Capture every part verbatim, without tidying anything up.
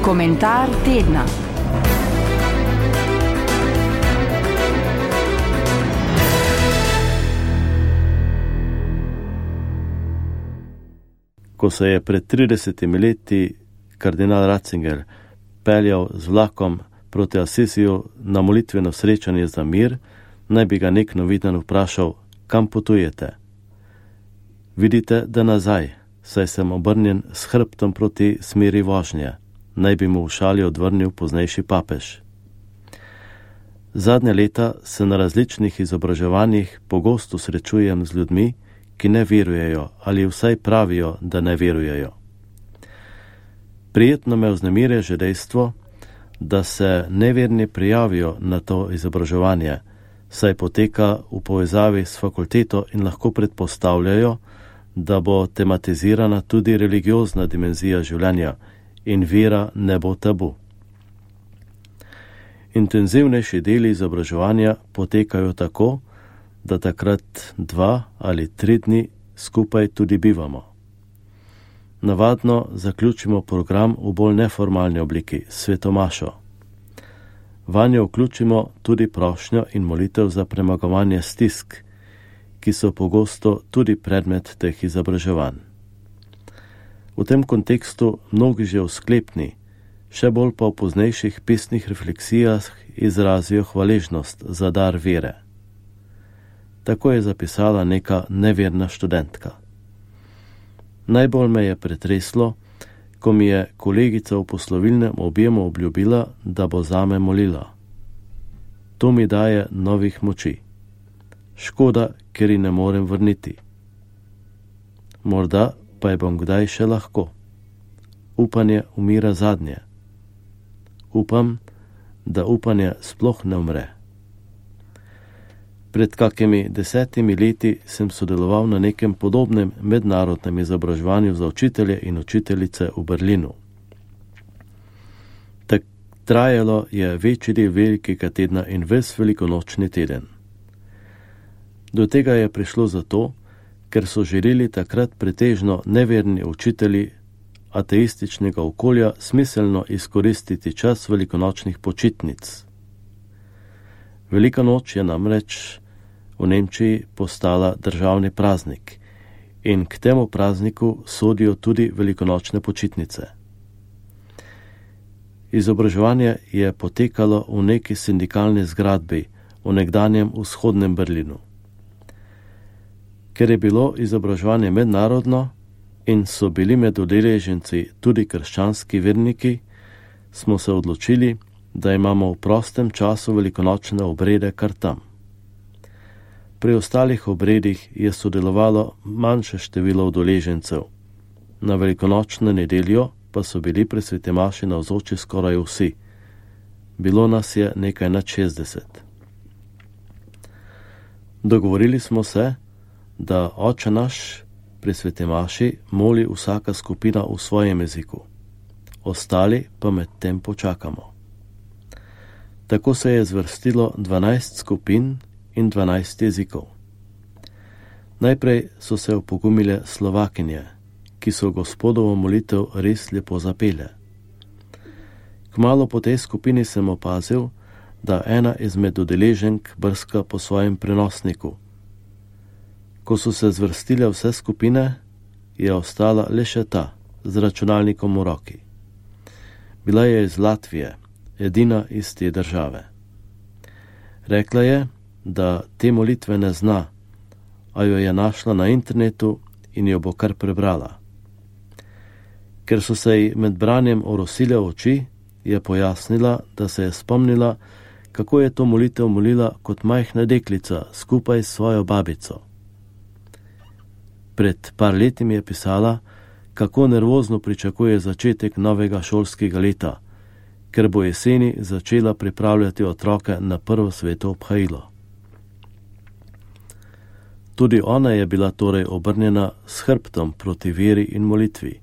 Komentar tedna. Ko se je pred tridesetimi leti kardinal Ratzinger peljal z vlakom proti Asisiju na molitveno srečanje za mir, naj bi ga nek novinar vprašal, kam potujete. Vidite, da nazaj, saj sem obrnjen s hrbtom proti smeri vožnje, naj bi mu v šali odvrnil poznejši papež. Zadnja leta se na različnih izobraževanjih pogosto srečujem z ljudmi, ki ne verujejo ali vsaj pravijo, da ne verujejo. Prijetno me vznemiri že dejstvo, da se neverni prijavijo na to izobraževanje, saj poteka v povezavi s fakulteto in lahko predpostavljajo, da bo tematizirana tudi religiozna dimenzija življenja in vera ne bo tabu. Intenzivnejši deli izobraževanja potekajo tako, da takrat dva ali tri dni skupaj tudi bivamo. Navadno zaključimo program v bolj neformalni obliki, svetomašo. Vanjo vključimo tudi prošnjo in molitev za premagovanje stisk, ki so pogosto tudi predmet teh izobraževanj. V tem kontekstu mnogi že v sklepni, še bolj pa v poznejših pisnih refleksijah izrazijo hvaležnost za dar vere. Tako je zapisala neka neverna študentka. Najbolj me je pretreslo, ko mi je kolegica v poslovilnem objemu obljubila, da bo zame molila. To mi daje novih moči. Škoda, ker ji ne morem vrniti. Morda pa je bom kdaj še lahko. Upanje umira zadnje. Upam, da upanje sploh ne umre. Pred kakimi desetimi leti sem sodeloval na nekem podobnem mednarodnem izobraževanju za učitelje in učiteljice v Berlinu. Tak trajalo je večji del velikega tedna in ves velikonočni teden. Do tega je prišlo zato, ker so želeli takrat pretežno neverni učitelji ateističnega okolja smiselno izkoristiti čas velikonočnih počitnic. Velika noč je namreč v Nemčiji postala državni praznik in k temu prazniku sodijo tudi velikonočne počitnice. Izobraževanje je potekalo v neki sindikalni zgradbi v nekdanjem vzhodnem Berlinu. Ker je bilo izobraževanje mednarodno in so bili med udeleženci tudi krščanski verniki, smo se odločili, da imamo v prostem času velikonočne obrede kar tam. Pri ostalih obredih je sodelovalo manjše število udeležencev. Na velikonočno nedeljo pa so bili pri svetemaši navzoči skoraj vsi. Bilo nas je nekaj nad šestdeset. Dogovorili smo se, da oče naš pri svetemaši moli vsaka skupina v svojem jeziku. Ostali pa med tem počakamo. Tako se je zvrstilo dvanajst skupin in dvanajst jezikov. Najprej so se opogumile Slovakinje, ki so Gospodovo molitev res lepo zapele. Kmalu po tej skupini sem opazil, da ena izmed udeleženk brska po svojem prenosniku. Ko so se zvrstile vse skupine, je ostala le še ta, z računalnikom v roki. Bila je iz Latvije, edina iz te države. Rekla je, da te molitve ne zna, a jo je našla na internetu in jo bo kar prebrala. Ker so se ji med branjem orosile oči, je pojasnila, da se je spomnila, kako je to molitev molila kot majhna deklica skupaj s svojo babico. Pred par leti mi je pisala, kako nervozno pričakuje začetek novega šolskega leta, ker bo jeseni začela pripravljati otroke na prvo sveto obhajilo. Tudi ona je bila torej obrnjena s hrbtom proti veri in molitvi,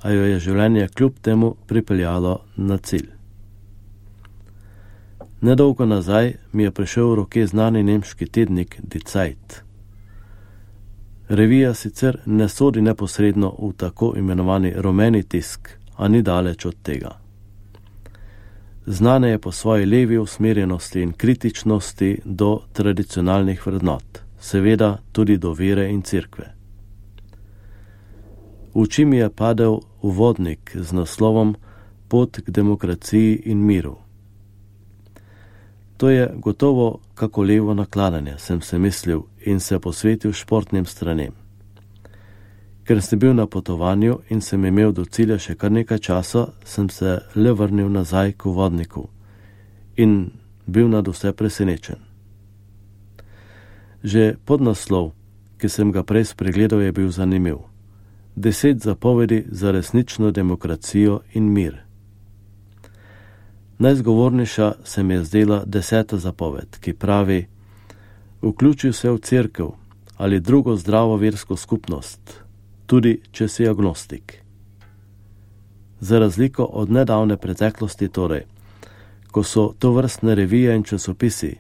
a jo je življenje kljub temu pripeljalo na cilj. Nedolgo nazaj mi je prišel v roke znani nemški tednik Die Zeit. Revija sicer ne sodi neposredno v tako imenovani rumeni tisk, a ni daleč od tega. Znane je po svoji levi usmerjenosti in kritičnosti do tradicionalnih vrednot, seveda tudi do vere in cerkve. V oči mi je padel uvodnik z naslovom Pot k demokraciji in miru. To je gotovo kako levo nakladanje, sem se mislil in se posvetil športnim stranem. Ker sem bil na potovanju in sem imel do cilja še kar nekaj časa, sem se le vrnil nazaj k uvodniku in bil nad vse presenečen. Že podnaslov, ki sem ga prej spregledal, je bil zanimiv. Deset zapovedi za resnično demokracijo in mir. Najzgovornejša se mi je zdela deseta zapoved, ki pravi: vključi se v cerkev ali drugo zdravo versko skupnost, tudi če si agnostik. Za razliko od nedavne preteklosti torej, ko so to vrstne revije in časopisi,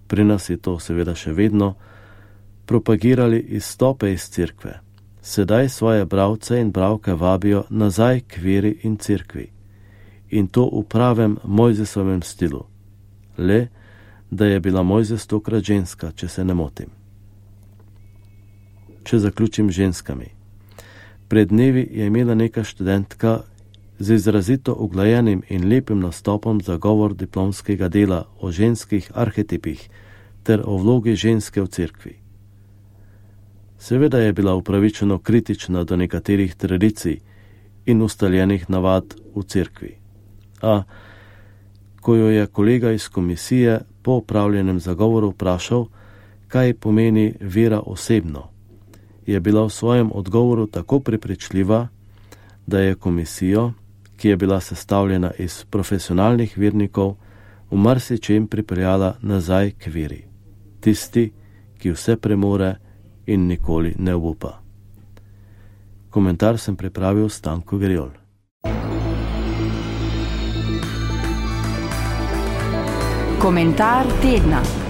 pri nas je to seveda še vedno, propagirali izstope iz cerkve, sedaj svoje bralce in bralke vabijo nazaj k veri in cerkvi. In to v pravem Mojzesovem stilu. Le, da je bila Mojzes tokrat ženska, če se ne motim. Če zaključim ženskami. Pred dnevi je imela neka študentka z izrazito uglajenim in lepim nastopom za govor diplomskega dela o ženskih arhetipih ter o vlogi ženske v cerkvi. Seveda je bila upravičeno kritična do nekaterih tradicij in ustaljenih navad v cerkvi. A, ko jo je kolega iz komisije po opravljenem zagovoru vprašal, kaj pomeni vera osebno, je bila v svojem odgovoru tako prepričljiva, da je komisijo, ki je bila sestavljena iz profesionalnih vernikov, v marsičem pripeljala nazaj k veri. Tisti, ki vse premore in nikoli ne obupa. Komentar sem pripravil Stanko Griol. Komentar tedna.